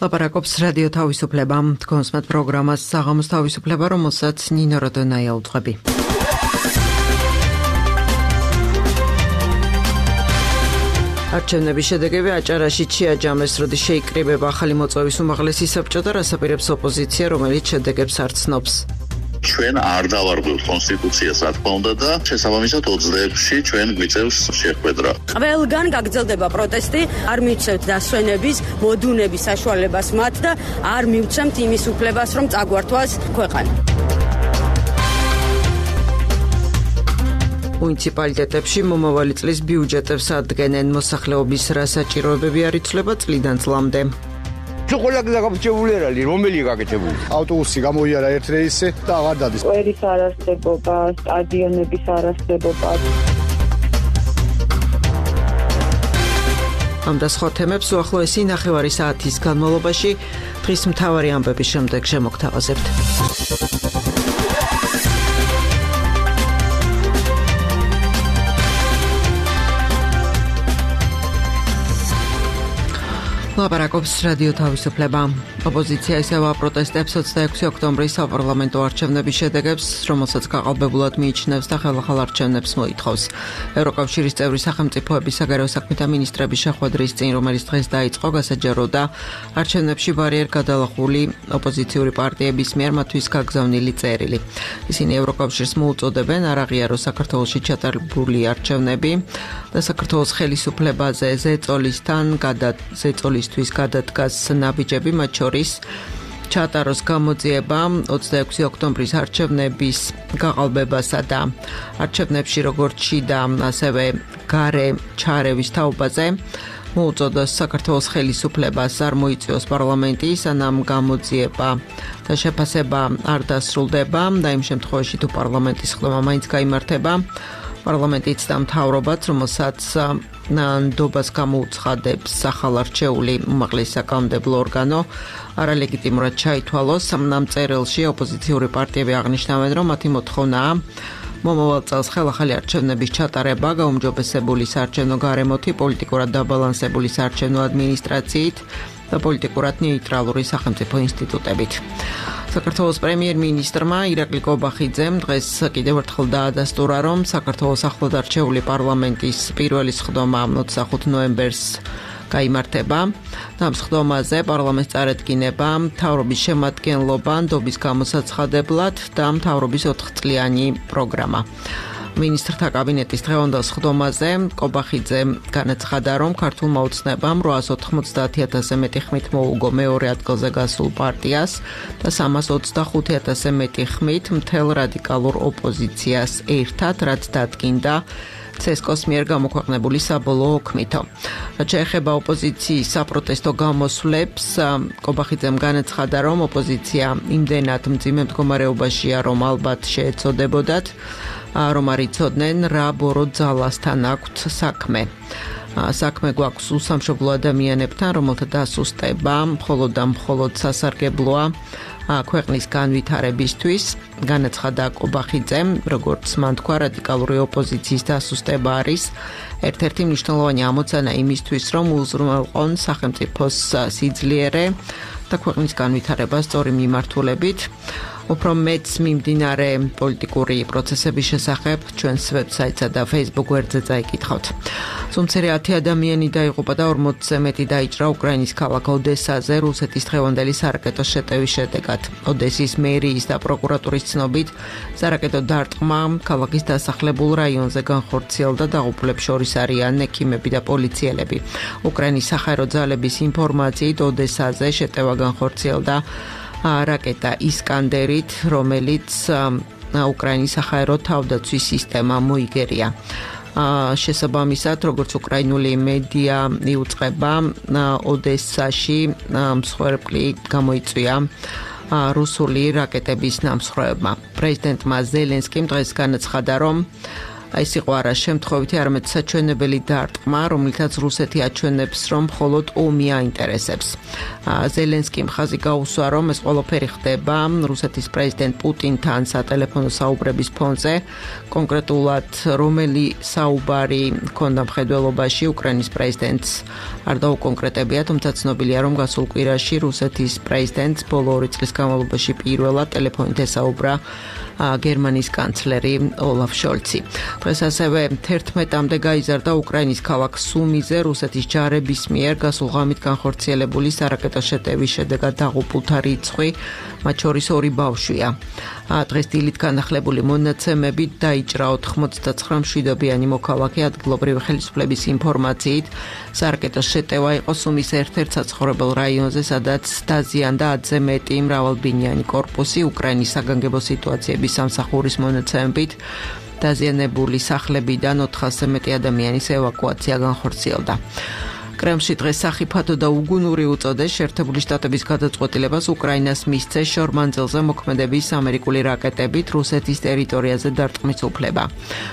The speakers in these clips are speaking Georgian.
ლაპარაკობს რადიო თავისუფლება. თქვენსმათ პროგრამას საღამოს თავისუფლება, რომელსაც ნინო როდონაია უძღვები. არჩევნების შედეგები აჭარაში ჩიაჯამეს, როდის შეიკრიბება ახალი მოწვევის უმაღლესი საბჭო და რას აპირებს ოპოზიცია, რომელიც შედეგებს არ ცნობს. ჩვენ არ დავარღვევთ კონსტიტუციას, რა თქმა უნდა და შესაბამისად 26-ში ჩვენ გვიწევს შეხვედრა. ყველგან გაგრძელდება პროტესტი, არ მივცემთ დასვენების, მოდუნების საშუალებას მათ და არ მივცემთ იმის უფლებას, რომ წაგვართვას ქვეყანა. მუნიციპალიტეტებში მომავალი წლის ბიუჯეტებს ადგენენ, მოსახლეობის რა საჭიროებები არ იცვლება წლიდან წლამდე. ყველა გაგაფრჩებული არის, რომელი გაკეთებული? ავტობუსი გამოიარა ერთ რეისზე და აღარ დადის. სკვერის არარსებობა, სტადიონების არარსებობა. ამ და სხვა თემებს უახლოესი ნახევარი საათის განმავლობაში დღის მთავარი ამბების შემდეგ შემოგთავაზებთ. ლაპარაკობს რადიო თავისუფლება. ოპოზიცია ისევ აპროტესტებს 26 ოქტომბრის საპარლამენტო არჩევნების შედეგებს, რომელსაც გაყალბებულად მიიჩნევს და ხელახალ არჩევნებს მოითხოვს. ევროკავშირის წევრი სახელმწიფოების საგარეო საქმეთა მინისტრების შეხვედრის წინ, რომელიც დღეს დაიწყო, გასაჯაროდა არჩევნებში ბარიერ გადალახული ოპოზიციური პარტიების მიერ მათთვის გაგზავნილი წერილი. ისინი ევროკავშირს მოუწოდებენ არ აღიაროს საქართველოში ჩატარებული არჩევნები და საქართველოს ხელისუფლებაზე ზეწოლისთვის გადადგას ნაბიჯები, მათ შორის ჩატაროს გამოძიება 26 ოქტომბრის არჩევნების გაყალბებასა და არჩევნებში როგორც შიდა, ასევე გარე ჩარევის თაობაზე. მოუწოდოს საქართველოს ხელისუფლებას არ მოიწვიოს პარლამენტი, სანამ გამოძიება და შეფასება არ დასრულდება და იმ შემთხვევაში თუ პარლამენტის ხდომა მაინც გაიმართება, პარლამენტიც და მთავრობაც, რომელსაც ნდობას გამოუცხადებს ახალარჩეული უმაღლესი საკანონმდებლო ორგანო, არალეგიტიმურად ჩაითვალოს. ამ წერილში ოპოზიციური პარტიები აღნიშნავენ, რომ მათი მოთხოვნაა მომავალ წელს ხელახალი არჩევნების ჩატარება გაუმჯობესებული საარჩევნო გარემოთი, პოლიტიკურად დაბალანსებული საარჩევნო ადმინისტრაციით და პოლიტიკურად ნეიტრალური სახელმწიფო ინსტიტუტებით. საქართველოს პრემიერ-მინისტრმა ირაკლი კობახიძემ დღეს კიდევ ერთხელ დაადასტურა, რომ საქართველოს ახლად არჩეული პარლამენტის პირველი სხდომა 25 ნოემბერს გაიმართება და ამ სხდომაზე პარლამენტს წარედგინება მთავრობის შემადგენლობა ნდობის გამოსაცხადებლად და მთავრობის 4-წლიანი პროგრამა. მინისტრთა კაბინეტის დღევანდელ სხდომაზე კობახიძე განაცხადა, რომ ქართულმა ოცნებამ 890,000-ზე მეტი ხმით მოუგო მეორე ადგილზე გასულ პარტიას და 325,000-ზე მეტი ხმით მთელ რადიკალურ ოპოზიციას ერთად, რაც დადგინდა ცესკოს მიერ გამოქვეყნებული საბოლოო ოქმითო. რაც შეეხება ოპოზიციის საპროტესტო გამოსვლებს, კობახიძემ განაცხადა, რომ ოპოზიცია იმდენად მძიმე მდგომარეობაშია, რომ ალბათ შეეწოდებოდათ, რომ არ იცოდნენ რა ბორო ძალასთან აქვთ საქმე. საქმე გვაქვს უსამშობლო ადამიანებთან, რომელთა დასუსტება მხოლოდ და მხოლოდ სასარგებლოა ქვეყნის განვითარებისთვის. განაცხადა კობახიძემ, როგორც მან თქვა, რადიკალური ოპოზიციის დასუსტება არის ერთ-ერთი მნიშვნელოვანი ამოცანა იმისთვის, რომ უზრუნველყონ სახელმწიფოს სიძლიერე და ქვეყნის განვითარება სწორი მიმართულებით. უფრო მეც მიმდინარე პოლიტიკური პროცესების შესახებ ჩვენს ვებსაიტსა და Facebook გვერდზე წაიკითხავთ. სომცერი 10 ადამიანი დაიღუპა და 40-ზე მეტი დაიჭრა უკრაინის ქალაქ ოდესაზე რუსეთის დღევანდელი სარაკეტო შეტევის შედეგად. ოდესის მერიის და პროკურატურის ცნობით, სარაკეტო დარტყმა ქალაქის დასახლებულ რაიონზე განხორციელდა, დაღუპულებს შორის არიან ექიმები და პოლიციელები. უკრაინის საჰაერო ძალების ინფორმაციით, ოდესაზე შეტევა განხორციელდა რაკეტა ისკანდერით, რომელიც უკრაინის საჰაერო თავდაცვის სისტემა მოიგერია. შესაბამისად, როგორც უკრაინული მედია იუწყება, ოდესაში მსხვერპლი გამოიწვია რუსული რაკეტების ნამსხვრევებმა. პრეზიდენტმა ზელენსკიმ დღეს განაცხადა, რომ ეს იყო არა შემთხვევითი, არამედ საჩვენებელი დარტყმა, რომლითაც რუსეთი აჩვენებს, რომ მხოლოდ ომი აინტერესებს. ზელენსკიმ ხაზი გაუსვა, რომ ეს ყველაფერი ხდება რუსეთის პრეზიდენტ პუტინთან სატელეფონო საუბრების ფონზე, კონკრეტულად რომელი საუბარი ჰქონდა მხედველობაში უკრაინის პრეზიდენტს არ დაუკონკრეტებია, თუმცა ცნობილია, რომ გასულ კვირაში რუსეთის პრეზიდენტს ბოლო 2 წლის განმავლობაში პირველად ტელეფონით ესაუბრა გერმანიის კანცლერი ოლაფ შოლცი. დღეს ასევე 11-მდე გაიზარდა უკრაინის ქალაქ სუმიზე რუსეთის ჯარების მიერ გასულ ღამით განხორციელებული სარაკეტო შეტევის შედეგად დაღუპულთა რიცხვი, მათ შორის 2 ბავშვია. დღეს დილით განახლებული მონაცემებით დაიჭრა 99 მშვიდობიანი მოქალაქე ადგილობრივი ხელისუფლების ინფორმაციით. სარაკეტო შეტევა იყო სუმის ერთ-ერთ საცხოვრებელ რაიონზე, სადაც დაზიანდა 10-ზე მეტი მრავალბინიანი კორპუსი. უკრაინის საგანგებო სიტუაციების სამსახურის მონაცემებით დაზიანებული სახლებიდან 400-ზე მეტი ადამიანის ევაკუაცია განხორციელდა. კრემლში დღეს სახიფათო და უგუნური უწოდეს შეერთებული შტატების გადაწყვეტილებას უკრაინას მისცეს შორ-მანძილზე მოქმედების ამერიკული რაკეტებით რუსეთის ტერიტორიაზე დარტყმის უფლება.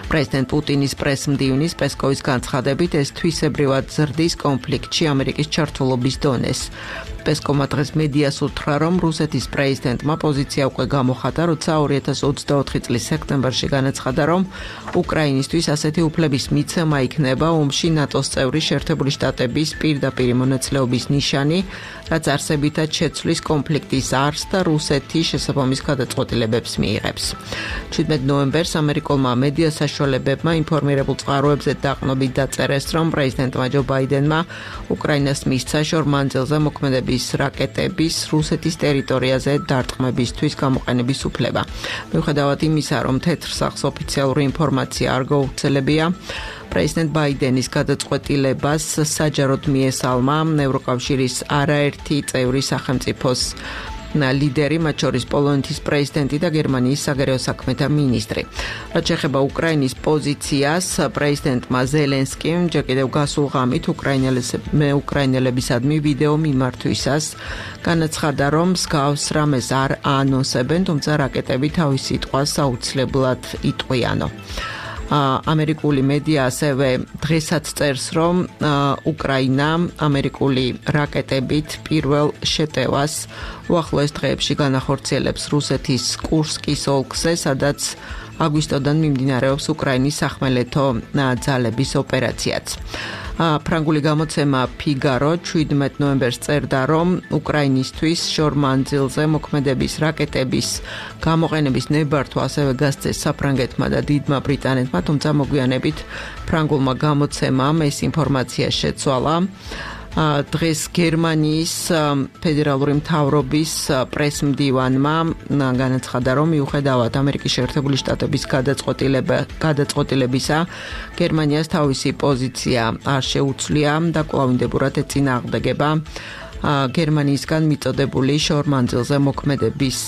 პრეზიდენტ პუტინის პრესმდივნის პესკოვის განცხადებით ეს თვისებრივად ზრდის კონფლიქტში ამერიკის ჩართულობის დონეს. პესკოვმა დღეს მედიას უთხრა, რომ რუსეთის პრეზიდენტმა პოზიცია უკვე გამოხატა, როცა 2024 წლის სექტემბერში განაცხადა, რომ უკრაინისთვის ასეთი უფლების მიცემა იქნება ომში ნატოს წევრი შეერთებული შტატების პირდაპირ მონაწილეობის ნიშანი, რაც არსებითად შეცვლის კონფლიქტის არსს და რუსეთი შესაბამის გადაწყვეტილებებს მიიღებს. 17 ნოემბერს ამერიკულმა მედია საშუალებებმა ინფორმირებულ წყაროებზე დაყნობით დაწერეს, რომ პრეზიდენტმა ჯო ბაიდენმა უკრაინას მისცა შორ-მანძილზე მოქმედების რაკეტების რუსეთის ტერიტორიაზე დარტყმებისთვის გამოყენების უფლება. მიუხედავად იმისა, რომ თეთრ სახლს ოფიციალური ინფორმაცია არ გაუხსენებია, პრეზიდენტ ბაიდენის გადაწყვეტილებას საჯაროდ მიესალმა ევროკავშირის არაერთი წევრი სახელმწიფოს ლიდერი, მათ შორის პოლონეთის პრეზიდენტი და გერმანიის საგარეო საქმეთა მინისტრი. რაც შეეხება უკრაინის პოზიციას, პრეზიდენტმა ზელენსკიმ ჯერ კიდევ გასულ ღამით უკრაინელებისადმი ვიდეო მიმართვისას განაცხადა, რომ მსგავს რამეს არ აანონსებენ, თუმცა რაკეტები თავის სიტყვას აუცილებლად იტყვიანო. ამერიკული მედია ასევე დღესაც წერს, რომ უკრაინა ამერიკული რაკეტებით პირველ შეტევას უახლოეს დღეებში განახორციელებს რუსეთის კურსკის ოლქზე, სადაც აგვისტოდან მიმდინარეობს უკრაინის სახმელეთო ძალების ოპერაციაც. ფრანგული გამოცემა ფიგარო 17 ნოემბერს წერდა, რომ უკრაინისთვის შორ-მანძილზე მოქმედების რაკეტების გამოყენების ნებართვა ასევე გასცეს საფრანგეთმა და დიდმა ბრიტანეთმა, თუმცა მოგვიანებით ფრანგულმა გამოცემამ ეს ინფორმაცია შეცვალა. დღეს გერმანიის ფედერალური მთავრობის პრესმდივანმა განაცხადა, რომ მიუხედავად ამერიკის შეერთებული შტატების გადაწყვეტილებისა, გერმანიას თავისი პოზიცია არ შეუცვლია და კვლავინდებურად ეწინააღმდეგება გერმანიისგან მიწოდებული შორ-მანძილზე მოქმედების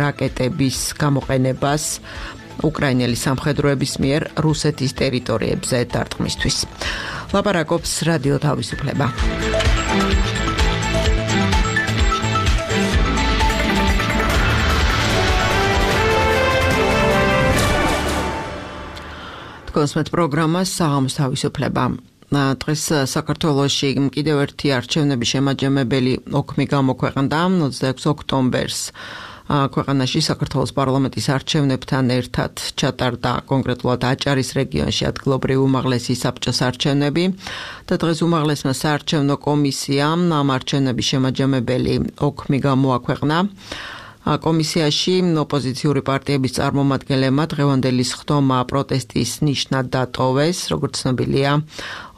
რაკეტების გამოყენებას უკრაინელი სამხედროების მიერ რუსეთის ტერიტორიებზე დარტყმისთვის. ლაპარაკობს რადიო თავისუფლება. თქვენსმეთ პროგრამას საღამოს თავისუფლება. დღეს საქართველოში კიდევ ერთი არჩევნების შემაჯამებელი ოქმი გამოქვეყნდა 26 ოქტომბერს. ქვეყანაში საქართველოს პარლამენტის არჩევნებთან ერთად ჩატარდა კონკრეტულად აჭარის რეგიონში ადგილობრივი უმაღლესი საბჭოს არჩევნები და დღეს უმაღლესმა საარჩევნო კომისიამ ამ არჩევნების შემაჯამებელი ოქმი გამოაქვეყნა. კომისიაში ოპოზიციური პარტიების წარმომადგენლებმა დღევანდელი სხდომა პროტესტის ნიშნად დატოვეს, როგორც ცნობილია,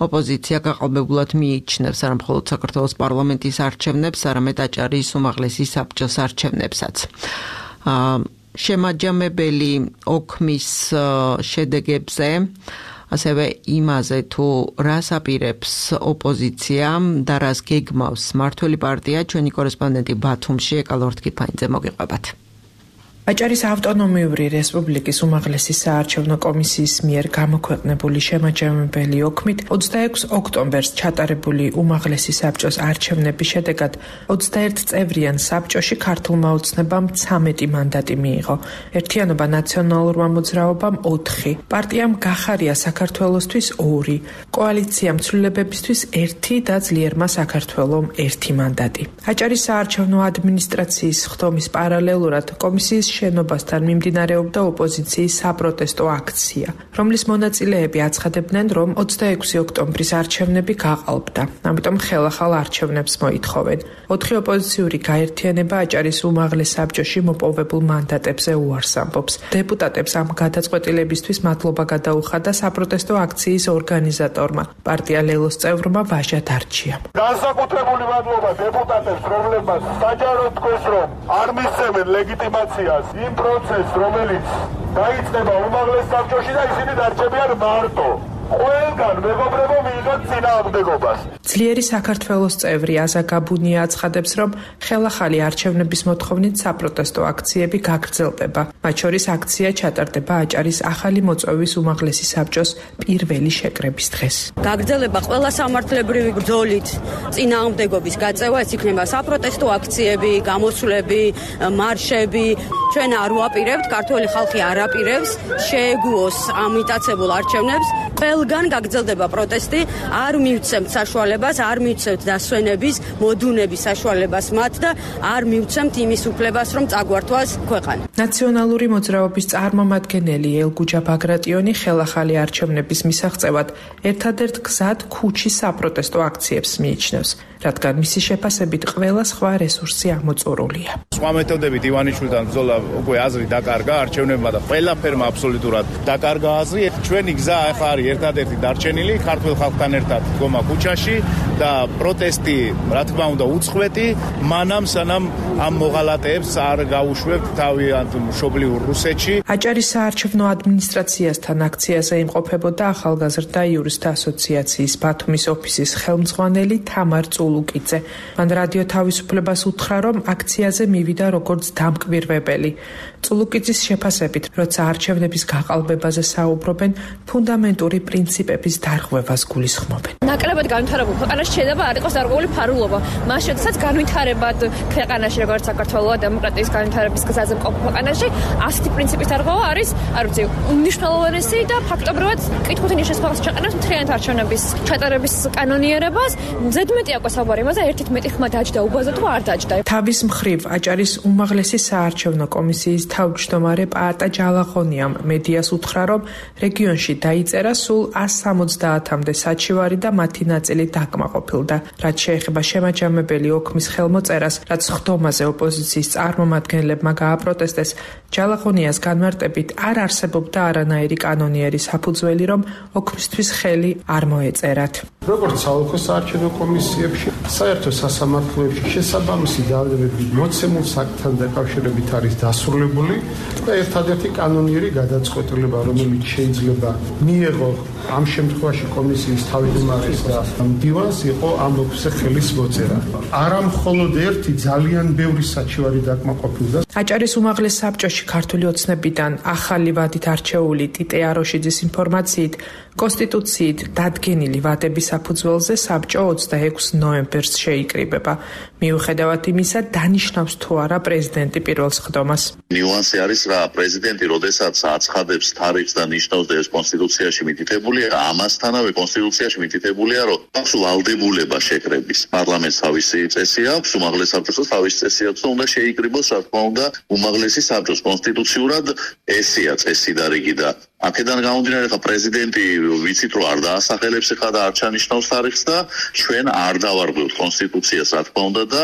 ოპოზიცია გაყალბებულად მიიჩნევს არა მხოლოდ საქართველოს პარლამენტის არჩევნებს, არამედ აჭარის უმაღლესი საბჭოს არჩევნებსაც. შემაჯამებელი ოქმის შედეგებზე ასევე იმაზე თუ რას აპირებს ოპოზიცია და რას გეგმავს მმართველი პარტია, ჩვენი კორესპონდენტი ბათუმში ეკალორთქიფანიძე მოგიყვებათ. აჭარის ავტონომიური რესპუბლიკის უმაღლესი საარჩევნო კომისიის მიერ გამოქვეყნებული შემაჯამებელი ოქმით 26 ოქტომბერს ჩატარებული უმაღლესი საბჭოს არჩევნების შედეგად 21 წევრიან საბჭოში ქართულმა ოცნებამ 13 მანდატი მიიღო. ერთიანობა ნაციონალურმა მოძრაობამ 4, პარტიამ გახარია საქართველოსთვის 2, კოალიციამ ცვლილებებისთვის 1 და ძლიერმა საქართველომ 1 მანდატი. აჭარის საარჩევნო ადმინისტრაციის ხდომის პარალელურად კომისიის შენობასთან მიმდინარეობდა ოპოზიციის საპროტესტო აქცია, რომლის მონაწილეები აცხადებდნენ, რომ 26 ოქტომბრის არჩევნები გაყალბდა, ამიტომ ხელახალ არჩევნებს მოითხოვენ. 4 ოპოზიციური გაერთიანება აჭარის უმაღლეს საბჭოში მოპოვებულ მანდატებზე უარს ამბობს. დეპუტატებს ამ გადაწყვეტილებისთვის მადლობა გადაუხადა საპროტესტო აქციის ორგანიზატორმა, პარტია ლელოს წევრმა ვაჟა დარჩიამ. განსაკუთრებული მადლობა დეპუტატებს, რომლებმაც საჯაროდ თქვეს, რომ არ მისცემენ ლეგიტიმაციას იმ პროცესს, რომელიც დაიწყება უმაღლეს საბჭოში და ისინი დარჩებიან მარტო. ყველგან მეგობრებო მიიღოთ წინააღმდეგობას. ძლიერი საქართველოს წევრი აზა გაბუნია აცხადებს, რომ ხელახალი არჩევნების მოთხოვნით საპროტესტო აქციები გაგრძელდება. მათ შორის აქცია ჩატარდება აჭარის ახალი მოწვევის უმაღლესი საბჭოს პირველი შეკრების დღეს. გაგრძელება ყველა სამართლებრივი ბრძოლით წინააღმდეგობის გაწევა, ეს იქნება საპროტესტო აქციები, გამოსვლები, მარშები. ჩვენ არ ვაპირებთ, ქართველი ხალხი არ აპირებს შეეგუოს ამიტაცებულ არჩევნებს. ყველგან გაგრძელდება პროტესტი, არ მივცემთ საშუალებას, არ მივცემთ დასვენების, მოდუნების საშუალებას მათ და არ მივცემთ იმის უფლებას, რომ წაგვართვას ქვეყანა. ნაციონალური მოძრაობის წარმომადგენელი ელგუჯა ბაგრატიონი ხელახალი არჩევნების მისაღწევად ერთადერთ გზად ქუჩის საპროტესტო აქციებს მიიჩნევს, რადგან მისი შეფასებით ყველა სხვა რესურსი ამოწურულია. სხვა მეთოდებით ივანიშვილთან ბრძოლა უკვე აზრი დაკარგა არჩევნებმა და ყველაფერმა აბსოლუტურად დაკარგა აზრი. ჩვენი გზა ახლა არის ერთადერთი დარჩენილი ქართულ ხალხთან ერთად დგომა ქუჩაში და პროტესტი, რა თქმა უნდა, უწყვეტი, მანამ სანამ ამ მოღალატეებს არ გაუშვებთ თავიანთ მშობლიურ რუსეთში. აჭარის საარჩევნო ადმინისტრაციასთან აქციაზე იმყოფებოდა ახალგაზრდა იურისტთა ასოციაციის ბათუმის ოფისის ხელმძღვანელი თამარ წულუკიძე. მან რადიო თავისუფლებას უთხრა, რომ აქციაზე მივიდა როგორც დამკვირვებელი. წულუკიძის შეფასებით, როცა არჩევნების გაყალბებაზე საუბრობენ, ფუნდამენტური პრინციპების დარღვევას გულისხმობენ. ნაკლებად განვითარებულ ქვეყანაში შეიძლება არ იყოს დარღვეული ფარულობა. მას შესაძაც განვითარებად ქვეყანაში, როგორც საქართველოს დემოკრატიის განვითარების გზაზე მყოფ ქვეყანაში, ასეთი პრინციპის დარღვევა არის, არ ვიცი, უმნიშვნელოვანესი და ფაქტობრივად კითხვით ნიშნავს ქვეყანას მთლიანად არჩევნების ჩატარების კანონიერებას. ზედმეტი აქვს საუბარი იმაზე, ერთით მეტი ხმა დაჯდა უბაზა თუ არ დაჯდა. თავის მხრივ აჭარის უმაღლესი საარჩევნო კომისიის თავმჯდომარე პაატა ჯალაღონიამ მედიას უთხრა, რომ რეგიონში დაიწერა სულ 170-მდე საჩივარი და მათი ნაწილი დაკმაყოფილდა. რაც შეეხება შემაჯამებელი ოქმის ხელმოწერას, რაც ხდომაზე ოპოზიციის წარმომადგენლებმა გააპროტესტეს, ჯალაღონიას განმარტებით არ არსებობდა არანაირი კანონიერი საფუძველი, რომ ოქმისთვის ხელი არ მოეწერათ. როგორც საოლქო საარჩევნო კომისიებში, საერთო სასამართლოებში შესაბამისი ძალებები მოცემულ საქმთან დაკავშირებით არის დასრულებული და ერთადერთი კანონიერი გადაწყვეტილება, რომელიც შეიძლება მიეღო ამ შემთხვევაში კომისიის თავმჯდომარეს და მდივანს, იყო ამ ოქმზე ხელის მოწერა. არა მხოლოდ ერთი, ძალიან ბევრი საჩივარი დაკმაყოფილდა. აჭარის უმაღლეს საბჭოში ქართული ოცნებიდან ახალი ვადით არჩეული ტიტე აროშიძის ინფორმაციით, კონსტიტუციით დადგენილი ვადების საფუძველზე საბჭო 26 ნოემბერს შეიკრიბება. მიუხედავად იმისა, დანიშნავს თუ არა პრეზიდენტი პირველ ხდომას. ნიუანსი არის რა, პრეზიდენტი როდესაც აცხადებს თარიღს და ნიშნავს და ეს კონსტიტუციაში მითითებულია, ამასთანავე კონსტიტუციაში მითითებულია, რომ აქვს ვალდებულება შეკრების. პარლამენტს თავისი წესი აქვს, უმაღლეს საბჭოს თავისი წესი აქვს და უნდა შეიკრიბოს, რა თქმა უნდა, უმაღლესი საბჭოს კონსტიტუციურად ესეა წესი და რიგი და აქედან გამომდინარე, ხა პრეზიდენტი ვიცით რომ არ დაასახელებს ხა და არ ჩანიშნავს თარიღს და ჩვენ არ დავარღვევთ კონსტიტუციას, რა თქმა უნდა და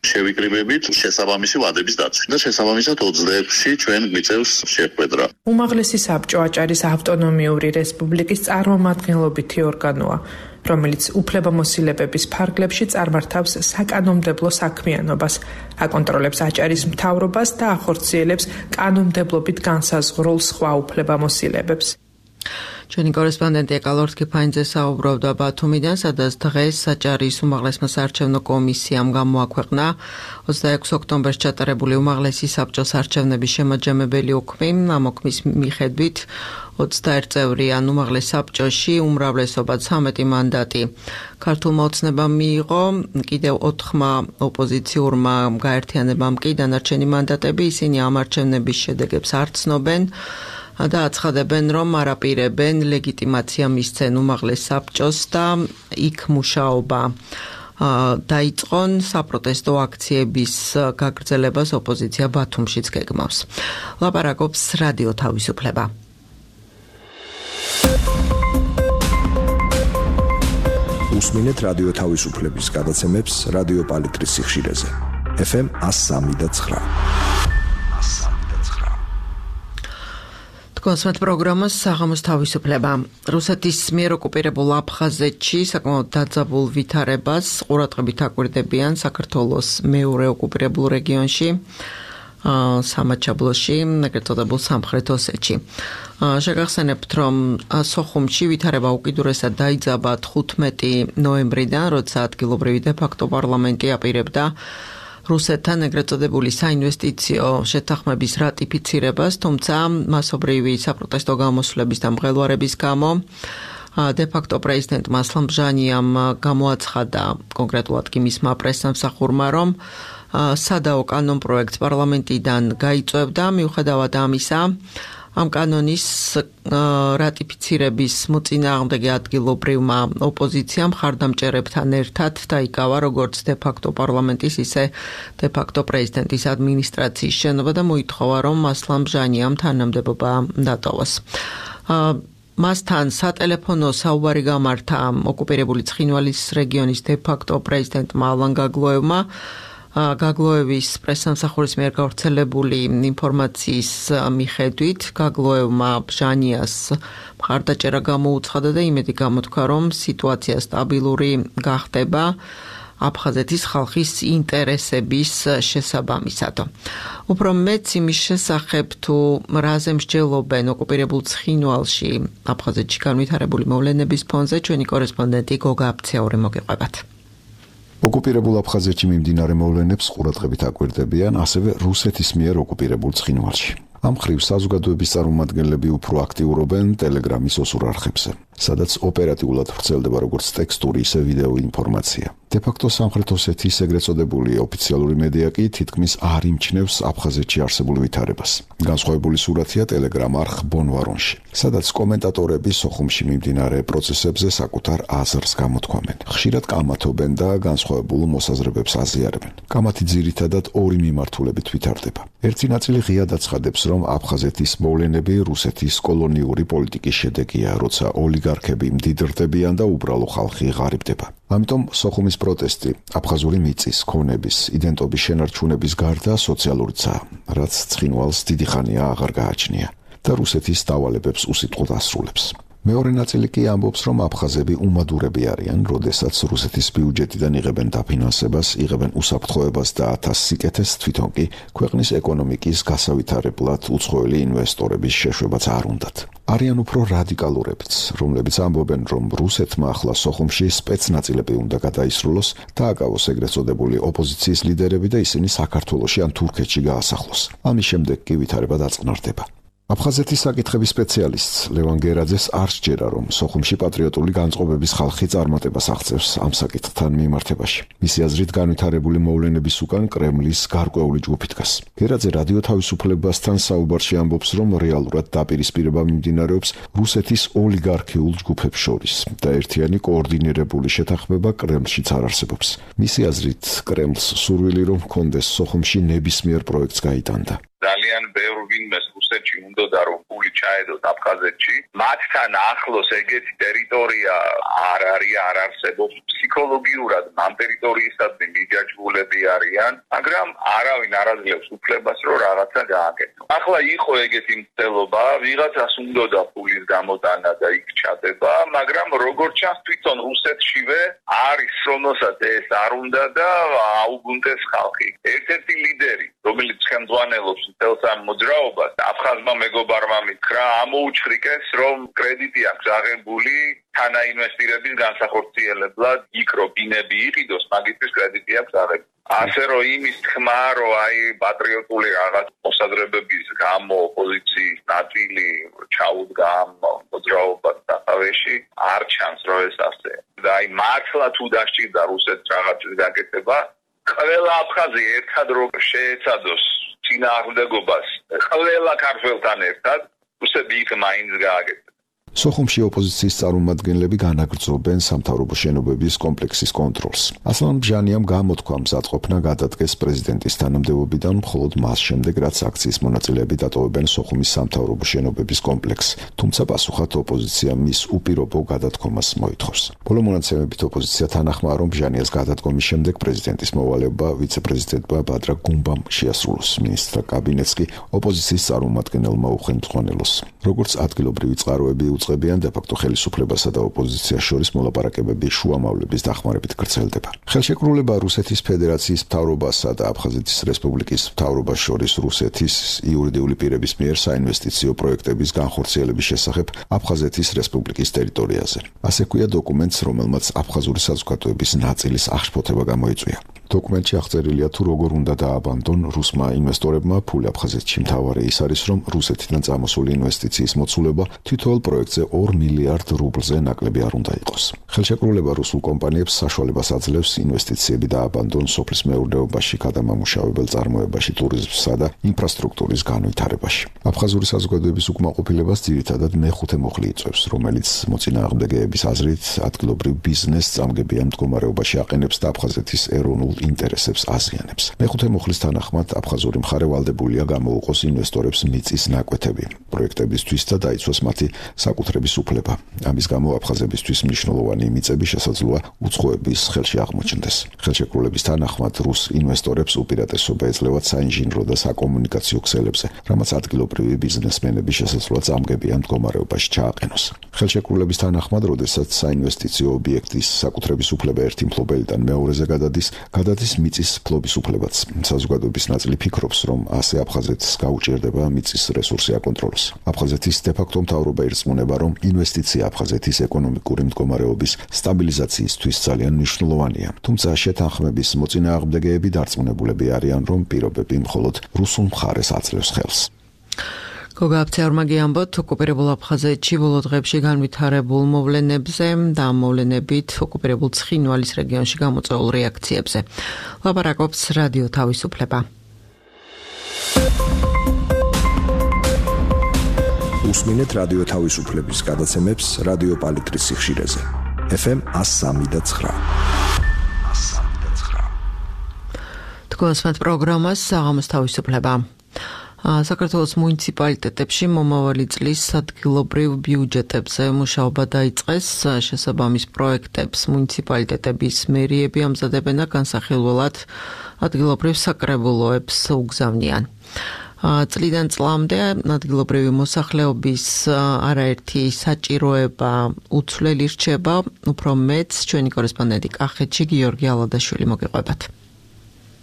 შევიკრიბებით შესაბამისი ვადების დაცვა და შესაბამისად 26-ში ჩვენ გვიწევს შეხვედრა. უმაღლესი საბჭო აჭარის ავტონომიური რესპუბლიკის წარმომადგენლობითი ორგანოა, რომელიც უფლებამოსილებების ფარგლებში წარმართავს საკანონმდებლო საქმიანობას, აკონტროლებს აჭარის მთავრობას და ახორციელებს კანონმდებლობით განსაზღვრულ სხვა უფლებამოსილებებს. ჩვენი კორესპონდენტი ეკალორთ კიფაინძე საუბრობდა ბათუმიდან, სადაც დღეს საჭარის უმაღლესმა საარჩევნო კომისიამ გამოაქვეყნა 26 ოქტომბერს ჩატარებული უმაღლესი საბჭოს არჩევნების შემაჯამებელი უქმი. ამ უქმის მიხედვით 21 წევრიან უმაღლეს საბჭოში უმრავლესობა 13 მანდატი ქართულმა ოცნებამ მიიღო, კიდევ 4-მა ოპოზიციურმა გაერთიანებამ კი დანარჩენი მანდატები, ისინი ამ არჩევნების შედეგებს არ ცნობენ და აცხადებენ, რომ არაპირებენ ლეგიტიმაცია მისცენ უმაღლეს საბჭოს და იქ მუშაობა დაიწყონ საპროტესტო აქციების გაგრძელებას ოპოზიცია ბათუმშიც გეგმავს. ლაპარაკობს რადიო თავისუფლება. უსმინეთ რადიო თავისუფლების გადაცემებს რადიო პალიტრის სიხშირეზე. FM 103.9. კონსმეთ პროგრამას საღამოს თავისუფლება. რუსეთის მიერ ოკუპირებულ აფხაზეთში საკმაოდ დაძაბულ ვითარებას ყურადღებით აკვირდებიან საქართველოს მეორე ოკუპირებულ რეგიონში, სამაჩაბლოში, ეგრეთ წოდებულ სამხრეთ ოსეთში. შეგახსენებთ, რომ სოხუმში ვითარება უკიდურესად დაიძაბა 15 ნოემბრიდან, როცა ადგილობრივი დე-ფაქტო პარლამენტი აპირებდა რუსეთთან ეგრეთ წოდებული საინვესტიციო შეთანხმების რატიფიცირებას, თუმცა მასობრივი საპროტესტო გამოსვლების და მღელვარების გამო დე-ფაქტო პრეზიდენტმა ასლან ბჟანიამ გამოაცხადა კონკრეტულად კი მისმა პრესსამსახურმა, რომ სადაო კანონ პროექტს პარლამენტიდან გაიწვევდა, მიუხედავად ამისა, ამ კანონის რატიფიცირების მოწინააღმდეგე ადგილობრივმა ოპოზიციამ მხარდამჭერებთან ერთად დაიკავა როგორც დე-ფაქტო პარლამენტის, ისე დე-ფაქტო პრეზიდენტის ადმინისტრაციის შენობა და მოითხოვა, რომ ასლან ბჟანიამ თანამდებობა დატოვოს. მასთან სატელეფონო საუბარი გამართა ოკუპირებული ცხინვალის რეგიონის დე-ფაქტო პრეზიდენტმა ალან გაგლოევმა. გაგლოევის პრესსამსახურის მიერ გავრცელებული ინფორმაციის მიხედვით გაგლოევმა ბჟანიას მხარდაჭერა გამოუცხადა და იმედი გამოთქვა, რომ სიტუაცია სტაბილური გახდება აფხაზეთის ხალხის ინტერესების შესაბამისად. უფრო მეც იმის შესახებ, თუ რაზე მსჯელობენ ოკუპირებულ ცხინვალში აფხაზეთში განვითარებული მოვლენების ფონზე, ჩვენი კორესპონდენტი გოგა აფცეური მოგეყვებათ. ოკუპირებულ აფხაზეთში მიმდინარე მოვლენებს ყურადღებით აკვირდებიან ასევე რუსეთის მიერ ოკუპირებულ ცხინვალში. ამ ხრივ საზოგადოების წარმომადგენლები უფრო აქტიურობენ ტელეგრამის ოსურ არხებზე, სადაც ოპერატიულად ვრცელდება როგორც ტექსტური, ისე ვიდეო ინფორმაცია. დე-ფაქტო სამხრეთ ოსეთის ეგრეთ წოდებული ოფიციალური მედია კი თითქმის არ იმჩნევს აფხაზეთში არსებულ ვითარებას. განსხვავებული სურათია ტელეგრამ არხ ბონვარონში, სადაც კომენტატორები სოხუმში მიმდინარე პროცესებზე საკუთარ აზრს გამოთქვამენ. ხშირად კამათობენ და განსხვავებულ მოსაზრებებს აზიარებენ. კამათი ძირითადად ორი მიმართულებით ვითარდება. ერთი ნაწილი ღიად აცხადებს, რომ აფხაზეთის მოვლენები რუსეთის კოლონიური პოლიტიკის შედეგია, როცა ოლიგარქები მდიდრდებიან და უბრალო ხალხი ღარიბდება. ამიტომ სოხუმის პროტესტი აფხაზური მიწის, ქონების, იდენტობის შენარჩუნების გარდა სოციალურიცაა, რაც ცხინვალს დიდი ხანია აღარ გააჩნია და რუსეთის დავალებებს უსიტყვოდ ასრულებს. მეორე ნაწილი კი ამბობს, რომ აფხაზები უმადურები არიან, როდესაც რუსეთის ბიუჯეტიდან იღებენ დაფინანსებას, იღებენ უსაფრთხოებას და ათას სიკეთეს, თვითონ კი ქვეყნის ეკონომიკის გასავითარებლად უცხოელი ინვესტორების შეშვებაც არ უნდათ. არიან უფრო რადიკალურებიც, რომლებიც ამბობენ, რომ რუსეთმა ახლა სოხუმში სპეცნაწილები უნდა გადაისრულოს და აკავოს ეგრეთ წოდებული ოპოზიციის ლიდერები და ისინი საქართველოში ან თურქეთში გაასახლოს. ამის შემდეგ კი ვითარება დაწყნარდება. აფხაზეთის საკითხების სპეციალისტ ლევან გერაძეს არ სჯერა, რომ სოხუმში პატრიოტული განწყობების ხალხი წარმატებას აღწევს ამ საკითხთან მიმართებაში. მისი აზრით განვითარებული მოვლენების უკან კრემლის გარკვეული ჯგუფი დგას. გერაძე რადიო თავისუფლებასთან საუბარში ამბობს, რომ რეალურად დაპირისპირება მიმდინარეობს რუსეთის ოლიგარქიულ ჯგუფებს შორის და ერთიანი კოორდინირებული შეთანხმება კრემლშიც არ არსებობს. მისი აზრით, კრემლს სურვილი რომ ჰქონდეს სოხუმში ნებისმიერ პროექტს გაიტანდა. ძალიან ბევრ ვინმეს რუსეთში უნდა რომ ფული ჩაედოთ აფხაზეთში, მათთან ახლოს ეგეთი ტერიტორია არ არსებობს. ფსიქოლოგიურად ამ ტერიტორიისადმი მიჯაჭვულები არიან, მაგრამ არავინ არ აძლევს უფლებას, რომ რაღაცა გააკეთოს. ახლა იყო ეგეთი მცდელობა, ვიღაცას უნდა ფულის გამოტანა და იქ ჩადება, მაგრამ როგორც ჩანს თვითონ რუსეთშივე არის, რომელსაც ეს არ უნდა და აუგუნდეს ხალხი. ერთ-ერთი ლიდერი რომელიც ხელმძღვანელობს მთელს ამ მოძრაობას, აფხაზმა მეგობარმა მითხრა, ამოუჩხრიკეს, რომ კრედიტი აქვს აღებული თანაინვესტირების განსახორციელებლად, იქ რო ბინები იყიდოს, მაგისთვის კრედიტი აქვს აღებული. ასე რომ იმის თქმა, რომ პატრიოტული რაღაც მოსაზრებების გამო ოპოზიციის ნაწილი ჩაუდგა ამ მოძრაობას სათავეში, არ ჩანს, რომ ეს ასე. და მართლა თუ დასჭირდა რუსეთს რაღაცის გაკეთება, ყველა აფხაზი ერთად რო შეეცადოს წინააღმდეგობას, ყველა ქართველთან ერთად, რუსები იქ მაინც გააკეთებენ. სოხუმში ოპოზიციის წარმომადგენლები განაგრძობენ სამთავრობო შენობების კომპლექსის კონტროლს. ასლან ბჟანიამ გამოთქვა მზადყოფნა გადადგეს პრეზიდენტის თანამდებობიდან, მხოლოდ მას შემდეგ, რაც აქციის მონაწილეები დატოვებენ სოხუმის სამთავრობო შენობების კომპლექსს, თუმცა პასუხად ოპოზიცია მის უპირობო გადადგომას მოითხოვს. ბოლო მონაცემებით ოპოზიცია თანახმაა, რომ ბჟანიას გადადგომის შემდეგ პრეზიდენტის მოვალეობა ვიცე-პრეზიდენტმა ბადრა გუმბამ შეასრულოს. მინისტრთა კაბინეტს კი ოპოზიციის წარმომადგენელმა უხელმძღვანელოს. როგორც ადგილობრივი წყაროები უწყებიან, დე-ფაქტო ხელისუფლებასა და ოპოზიციას შორის მოლაპარაკებები შუამავლების დახმარებით გრძელდება. ხელშეკრულება რუსეთის ფედერაციის მთავრობასა და აფხაზეთის რესპუბლიკის მთავრობას შორის რუსეთის იურიდიული პირების მიერ საინვესტიციო პროექტების განხორციელების შესახებ აფხაზეთის რესპუბლიკის ტერიტორიაზე. ასე ქვია დოკუმენტს, რომელმაც აფხაზური საზოგადოების ნაწილის აღშფოთება გამოიწვია. დოკუმენტში აღწერილია თუ როგორ უნდა დააბანდონ რუსმა ინვესტორებმა ფული აფხაზეთში. მთავარი ის არის, რომ რუსეთიდან წამოსული ინვესტიციის მოცულობა თითოეულ პროექტზე 2 მილიარდ რუბლზე ნაკლები არ უნდა იყოს. ხელშეკრულება რუსულ კომპანიებს საშუალებას აძლევს ინვესტიციები დააბანდონ სოფლის მეურნეობაში, გადამამუშავებელ წარმოებაში, ტურიზმსა და ინფრასტრუქტურის განვითარებაში. აფხაზური საზოგადოების უკმაყოფილებას ძირითადად მეხუთე მუხლი იწვევს, რომელიც მოწინააღმდეგეების აზრით ადგილობრივ ბიზნესს წამგებიან მდგომარეობაში აყენებს და აფხაზეთის ეროვნულ ინტერესებს აზიანებს. მეხუთე მუხლის თანახმად აფხაზური მხარე ვალდებულია გამოუყოს ინვესტორებს მიწის ნაკვეთები პროექტებისთვის და დაიცვას მათი საკუთრების უფლება. ამის გამო აფხაზებისთვის მნიშვნელოვანი მიწები შესაძლოა უცხოების ხელში აღმოჩნდეს. ხელშეკრულების თანახმად რუს ინვესტორებს უპირატესობა ეძლევათ საინჟინრო და საკომუნიკაციო ქსელებზე, რამაც ადგილობრივი ბიზნესმენები შესაძლოა წამგებიან მდგომარეობაში ჩააყენოს. ხელშეკრულების თანახმად, როდესაც საინვესტიციო ობიექტის საკუთრების უფლება ერთი მფლობელიდან მეორეზე გადადის მიწის ფლობის უფლებაც. საზოგადოების ნაწილი ფიქრობს, რომ ასე აფხაზეთს გაუჭირდება მიწის რესურსი აკონტროლოს. აფხაზეთის დე-ფაქტო მთავრობა ირწმუნება, რომ ინვესტიცია აფხაზეთის ეკონომიკური მდგომარეობის სტაბილიზაციისთვის ძალიან მნიშვნელოვანია. თუმცა შეთანხმების მოწინააღმდეგეები დარწმუნებულები არიან, რომ პირობები მხოლოდ რუსულ მხარეს აძლევს ხელს. გოგა აფცეარმაგი ამბობთ ოკუპირებულ აფხაზეთში ბოლო დღეებში განვითარებულ მოვლენებზე და მოვლენებით ოკუპირებულ ცხინვალის რეგიონში გამოწვეულ რეაქციებზე. ლაპარაკობს რადიო თავისუფლება. უსმინეთ რადიო თავისუფლების გადაცემებს რადიო პალიტრის სიხშირეზე. FM 103.9. თქვენს პროგრამას საღამოს თავისუფლება. საქართველოს მუნიციპალიტეტებში მომავალი წლის ადგილობრივ ბიუჯეტებზე მუშაობა დაიწყეს. შესაბამის პროექტებს მუნიციპალიტეტების მერიები ამზადებენ და განსახილველად ადგილობრივ საკრებულოებს უგზავნიან. წლიდან წლამდე ადგილობრივი მოსახლეობის არაერთი საჭიროება უცვლელი რჩება, უფრო მეც ჩვენი კორესპონდენტი კახეთში გიორგი ალადაშვილი მოგიყვებათ.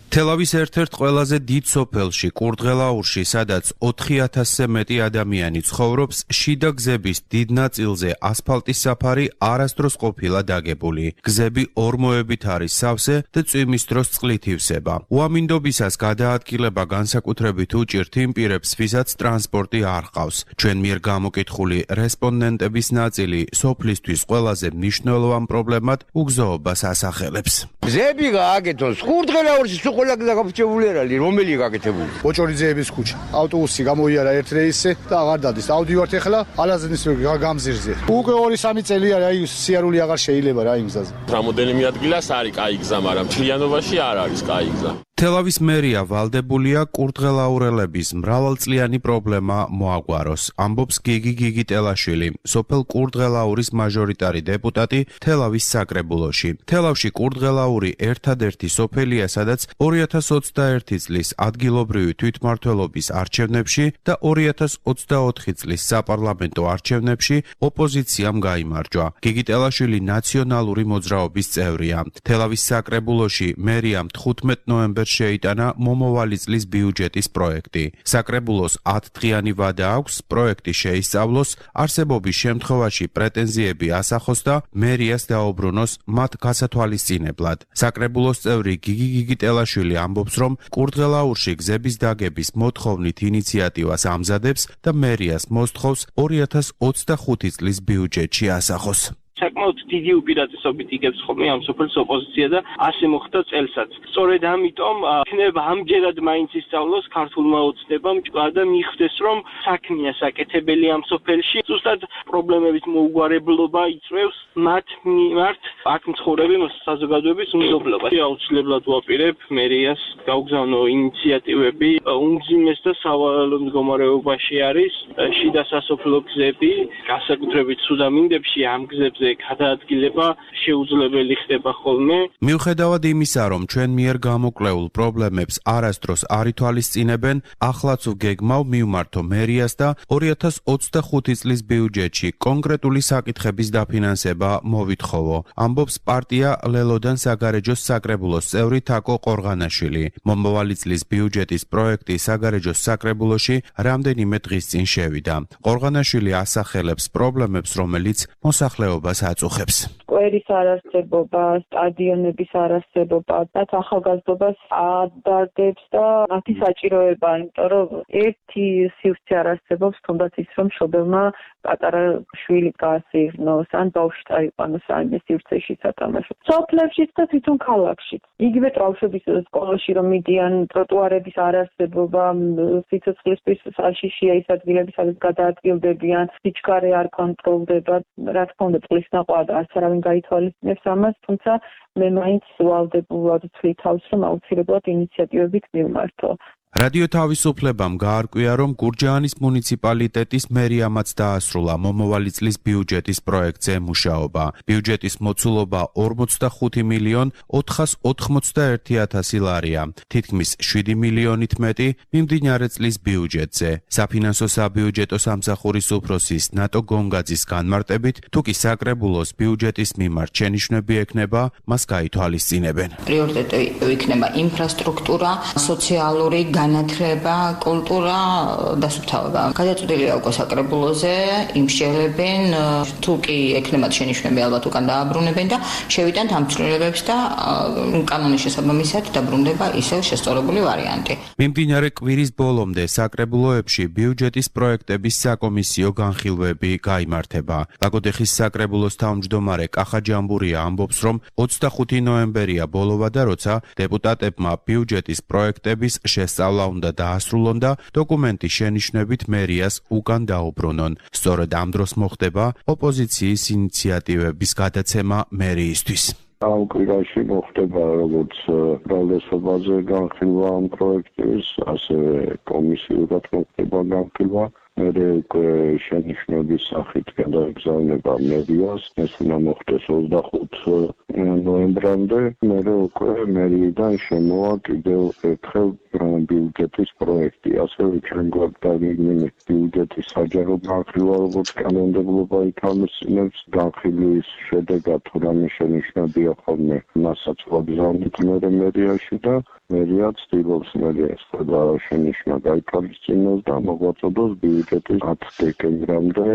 თელავის ერთ-ერთ ყველაზე დიდ სოფელში, კურდღელაურში, სადაც 4000-ზე მეტი ადამიანი ცხოვრობს, შიდა გზების დიდ ნაწილზე ასფალტის საფარი არასდროს ყოფილა დაგებული. გზები ორმოებით არის სავსე და წვიმის დროს წყლით ივსება. უამინდობისას გადაადგილება განსაკუთრებით უჭირთ იმ პირებს, ვისაც ტრანსპორტი არ ჰყავს. ჩვენ მიერ გამოკითხული რესპონდენტების ნაწილი სოფლისთვის ყველაზე მნიშვნელოვან პრობლემად უგზაობას ასახელებს. გზები გააკეთოს, კურდღელაურში ყველა გაგაფრჩებული არ არის, რომელი გაკეთებული? ოჭორიძეების ქუჩა. ავტობუსი გამოიარა ერთ რეისზე და აღარ დადის. ავდივართ ეხლა ალაზნის გამზირზე. უკვე 2-3 წელი არის, აი სიარული აღარ შეიძლება რა იმ გზაზე. რამოდენიმე ადგილას არის კაი გზა, მაგრამ მთლიანობაში არ არის კაი გზა. თელავის მერია ვალდებულია კურდღელაურელების მრავალწლიანი პრობლემა მოაგვაროს, ამბობს გიგი ტელაშვილი, სოფელ კურდღელაურის მაჟორიტარი დეპუტატი თელავის საკრებულოში. თელავში კურდღელაური ერთადერთი სოფელია, სადაც 2021 წლის ადგილობრივი თვითმმართველობის არჩევნებში და 2024 წლის საპარლამენტო არჩევნებში ოპოზიციამ გაიმარჯვა. გიგი ტელაშვილი ნაციონალური მოძრაობის წევრია. თელავის საკრებულოში მერიამ 15 ნოემბერს მუდმივად შეიტანა მომავალი წლის ბიუჯეტის პროექტი. საკრებულოს 10 დღიანი ვადა აქვს პროექტი შეისწავლოს, არსებობის შემთხვევაში პრეტენზიები ასახოს და მერიას დაუბრუნოს მათ გასათვალისწინებლად. საკრებულოს წევრი გიგი გიგიტელაშვილი ამბობს, რომ კურდღელაურში გზების დაგების მოთხოვნით ინიციატივას ამზადებს და მერიას მოსთხოვს 2025 წლის ბიუჯეტში ასახოს. საკმაოდ დიდი უპირატესობით იგებს ხოლმე ამ სოფლის ოპოზიცია და ასე მოხდა წელსაც. სწორედ ამიტომ იქნება ამჯერად მაინც ისწავლოს ქართულმა ოცნებამ და მიხვდეს, რომ საქმეა საკეთებელი ამ სოფელში. ზუსტად პრობლემების მოუგვარებლობა იწვევს მათ მიმართ აქ მცხოვრები საზოგადოების უმზობლობას. აუცილებლად ვაპირებ მერიას გაუგზავნო ინიციატივები. უმძიმეს და სავალალო მდგომარეობაში არის შიდა სასოფლო გზები, განსაკუთრებით სუდამინდებში ამ გზებზე გადაადგილება შეუძლებელი ხდება ხოლმე. მიუხედავად იმისა, რომ ჩვენ მიერ გამოკვლეულ პრობლემებს არასდროს არ ითვალისწინებენ, ახლაც ვგეგმავ მივმართო მერიას და 2025 წლის ბიუჯეტში კონკრეტული საკითხების დაფინანსება მოვითხოვო. ამბობს პარტია ლელოდან საგარეჯოს საკრებულოს წევრი თაკო ყორღანაშვილი. მომავალი წლის ბიუჯეტის პროექტი საგარეჯოს საკრებულოში რამდენიმე დღის წინ შევიდა. ყორღანაშვილი ასახელებს პრობლემებს, რომელიც მოსახლეობას აწუხებს. კვერის არარსებობა, სტადიონების არარსებობა და ახალგაზრდობას ადარდებს და მათი საჭიროება, იმიტომ რომ ერთი სივრცე არარსებობს, თუნდაც ის რომ მშობელმა პატარა შვილი გაასეირნოს, ან ბავშვი წაიყვანოს ამ სივრცეში სათამაშოდ. სოფლებშიც და თვითონ ქალაქშიც. იგივე ბავშვების სკოლაში რომ მიდიან, ტროტუარების არარსებობა, სიცოცხლისთვის საშიშია ის ადგილები, სადაც გადაადგილდებიან, სიჩქარე არ კონტროლდება, რა თქმა უნდა წყლის ნაყოფა და არც არავინ გაითვალისწინებს ამას, თუმცა მე მაინც ვალდებულად ვთვლი თავს, რომ აუცილებლად ინიციატივებით მივმართო. რადიო თავისუფლებამ გაარკვია, რომ გურჯაანის მუნიციპალიტეტის მერიამაც დაასრულა მომავალი წლის ბიუჯეტის პროექტზე მუშაობა. ბიუჯეტის მოცულობა 45 მილიონ 491,000 ლარია, თითქმის 7 მილიონით მეტი მიმდინარე წლის ბიუჯეტზე. საფინანსო საბიუჯეტო სამსახურის უფროსის ნატო გონგაძის განმარტებით, თუკი საკრებულოს ბიუჯეტის მიმართ შენიშვნები ექნება, მას გაითვალისწინებენ. პრიორიტეტი იქნება ინფრასტრუქტურა, სოციალური განათლება, კულტურა, დასუფთავება. გადაწყვეტილია უკვე საკრებულოზე, იმსჯელებენ, თუ კი ექნებათ შენიშვნები ალბათ უკან დააბრუნებენ და შევიტანთ ამ ცვლილებებს და კანონის შესაბამისად დაბრუნდება ისევ შესწორებული ვარიანტი. მიმდინარე კვირის ბოლომდე საკრებულოებში ბიუჯეტის პროექტების საკომისიო განხილვები გაიმართება. ლაგოდეხის საკრებულოს თავმჯდომარე კახა ჯამბურია ამბობს, რომ 25 ნოემბერია ბოლოვა და როცა დეპუტატებმა ბიუჯეტის პროექტების შესწავლა უნდა დაასრულონ და დოკუმენტის შენიშვნებით მერიას უკან დაუბრუნონ. სწორედ ამ დროს მოხდება ოპოზიციის ინიციატივების გადაცემა მერიისთვის. ამ კვირაში მოხდება როგორც ბრალდესობაზე განხილვა ამ პროექტის, ასევე კომისიურად მოხდება განხილვა. მერე უკვე შენიშვნების სახით გადაეგზავნება მერიას, ეს უნდა მოხდეს 25 ნოემბრამდე, მერე უკვე მერიიდან შემოვა კიდევ ერთხელ ბიუჯეტის პროექტი, ასევე ჩვენ გვაქვს ბიუჯეტის საჯარო განხილვა, როგორც კანონმდებლობა ითვალისწინებს, განხილვის შედეგად თუ რამე შენიშვნებია ხოლმე, მასაც ვაგზავნით მერიაში და მერია ცდილობს მერიას და შენიშვნა გაითვალისწინოს და მოგვაწოდოს ბიუჯეტის 10 დეკემბრამდე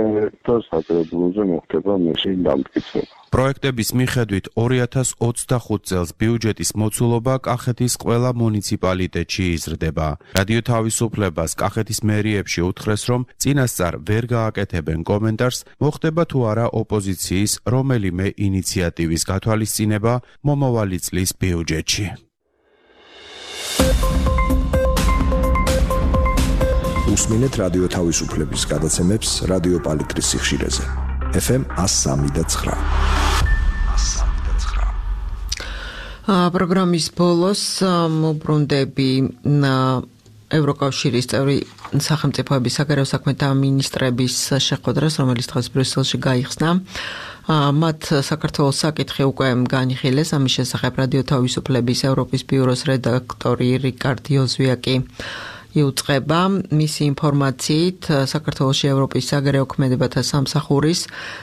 და საკრებულოზე მოხდება მისი დამტკიცება. პროექტების მიხედვით 2025 წელს ბიუჯეტის მოცულობა კახეთის ყველა მუნიციპალიტეტში იზრდება. რადიო თავისუფლებას კახეთის მერიებში უთხრეს, რომ წინასწარ ვერ გააკეთებენ კომენტარს, მოხდება თუ არა ოპოზიციის რომელიმე ინიციატივის გათვალისწინება მომავალი წლის ბიუჯეტში. უსმინეთ რადიო თავისუფლების გადაცემებს რადიო პალიტრის სიხშირეზე. FM 103.9. პროგრამის ბოლოს მოbrunდები ევროკავშირის წევრი სახელმწიფოების საგარეო საქმეთა მინისტრების შეხვედრას, რომელიც დღეს ბრიუსელში გაიხსნა. მათ საქართველოს საკითხი უკვე განიხილეს, ამის შესახებ რადიო თავისუფლების ევროპის ბიუროს რედაქტორი რიკარდ იოზვიაკი იუწყება. მისი ინფორმაციით, საქართველოში ევროპის საგარეო ქმედებათა სამსახურის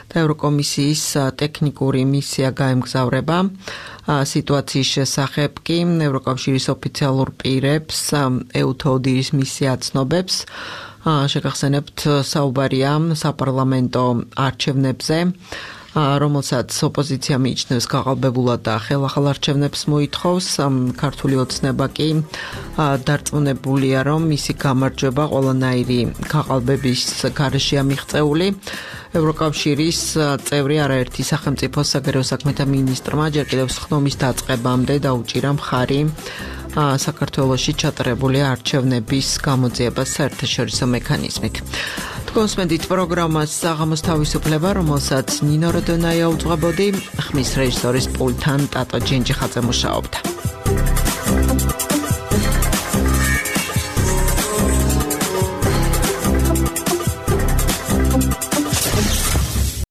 და ევროკომისიის ტექნიკური მისია გაემგზავრება. სიტუაციის შესახებ კი ევროკავშირის ოფიციალურ პირებს EUTODIR-ის მისია აცნობებს. შეგახსენებთ, საუბარია საპარლამენტო არჩევნებზე, რომელსაც ოპოზიცია მიიჩნევს გაყალბებულად და ხელახალ არჩევნებს მოითხოვს. ქართული ოცნება კი დარწმუნებულია, რომ მისი გამარჯვება ყველანაირი გაყალბების გარეშეა მიღწეული. ევროკავშირის წევრი არაერთი სახელმწიფო საგარეო საქმეთა მინისტრმა ჯერ კიდევ სხდომის დაწყებამდე დაუჭირა მხარი საქართველოში ჩატარებული არჩევნების გამოძიებას საერთაშორისო მექანიზმით. თქვენსმენდით პროგრამას საღამოს თავისუფლება, რომელსაც ნინო როდონაია უძღვებოდი, ხმის რეჟისორის პულტთან ტატო ჯინჯიხაძე მუშაობდა.